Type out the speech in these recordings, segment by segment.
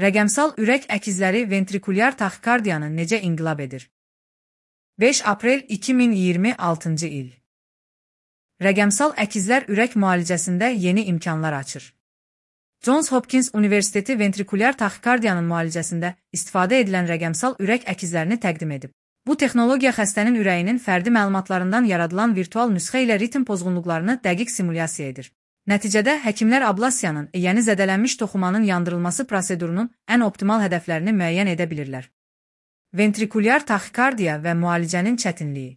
Rəqəmsal ürək əkizləri ventrikulyar taxikardiyanı necə inqilab edir? 5 aprel 2026-cı il. Rəqəmsal əkizlər ürək müalicəsində yeni imkanlar açır. Johns Hopkins Universiteti ventrikulyar taxikardiyanın müalicəsində istifadə edilən rəqəmsal ürək əkizlərini təqdim edib. Bu texnologiya xəstənin ürəyinin fərdi məlumatlarından yaradılan virtual nüsxə ilə ritm pozğunluqlarını dəqiq simulyasiya edir. Nəticədə həkimlər ablasiyanın, yəni zədələnmiş toxumanın yandırılması prosedurunun ən optimal hədəflərini müəyyən edə bilirlər. Ventrikulyar taxikardiya və müalicənin çətinliyi.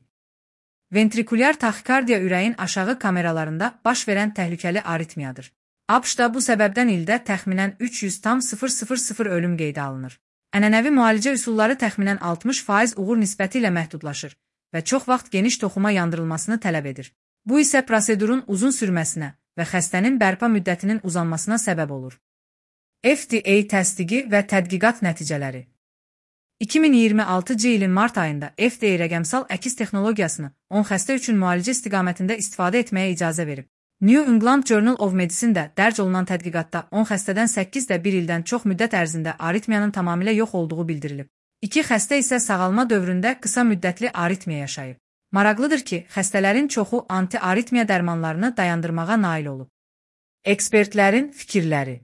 Ventrikulyar taxikardiya ürəyin aşağı kameralarında baş verən təhlükəli aritmiyadır. ABŞ-da bu səbəbdən ildə təxminən 300,000 ölüm qeydə alınır. Ənənəvi müalicə üsulları təxminən 60% uğur nisbəti ilə məhdudlaşır və çox vaxt geniş toxuma yandırılmasını tələb edir. Bu isə prosedurun uzun sürməsinə və xəstənin bərpa müddətinin uzanmasına səbəb olur. FDA təsdiqi və tədqiqat nəticələri. 2026-cı ilin mart ayında FDA rəqəmsal əkiz texnologiyasını 10 xəstə üçün müalicə istiqamətində istifadə etməyə icazə verib. New England Journal of Medicine-də dərc olunan tədqiqatda 10 xəstədən 8-də 1 ildən çox müddət ərzində aritmiyanın tamamilə yox olduğu bildirilib. 2 xəstə isə sağalma dövründə qısa müddətli aritmiya yaşayıb. Maraqlıdır ki, xəstələrin çoxu anti-aritmiya dərmanlarını dayandırmağa nail olub. Ekspertlərin fikirləri.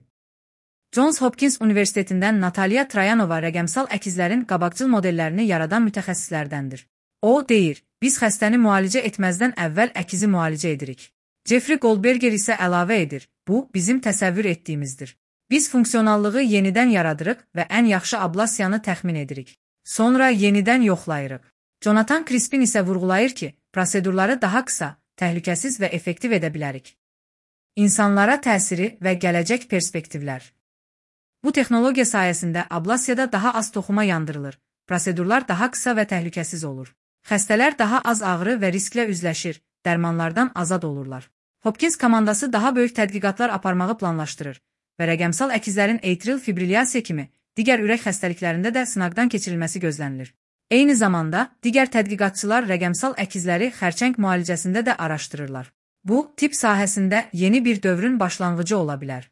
Johns Hopkins Universitetindən Natalya Trayanova rəqəmsal əkizlərin qabaqcıl modellərini yaradan mütəxəssislərdəndir. O deyir, biz xəstəni müalicə etməzdən əvvəl əkizi müalicə edirik. Jeffrey Goldberger isə əlavə edir, bu bizim təsəvvür etdiyimizdir. Biz funksionallığı yenidən yaradırıq və ən yaxşı ablasiyanı təxmin edirik. Sonra yenidən yoxlayırıq. Jonathan Crispin isə vurğulayır ki, prosedurları daha qısa, təhlükəsiz və effektiv edə bilərik. İnsanlara təsiri və gələcək perspektivlər. Bu texnologiya sayəsində ablasiyada daha az toxuma yandırılır, prosedurlar daha qısa və təhlükəsiz olur. Xəstələr daha az ağrı və risklə üzləşir, dərmanlardan azad olurlar. Hopkins komandası daha böyük tədqiqatlar aparmağı planlaşdırır və rəqəmsal əkizlərin atrial fibrilyasiya kimi digər ürək xəstəliklərində də sınaqdan keçirilməsi gözlənilir. Eyni zamanda, digər tədqiqatçılar rəqəmsal əkizləri xərçəng müalicəsində də araşdırırlar. Bu, tibb sahəsində yeni bir dövrün başlanğıcı ola bilər.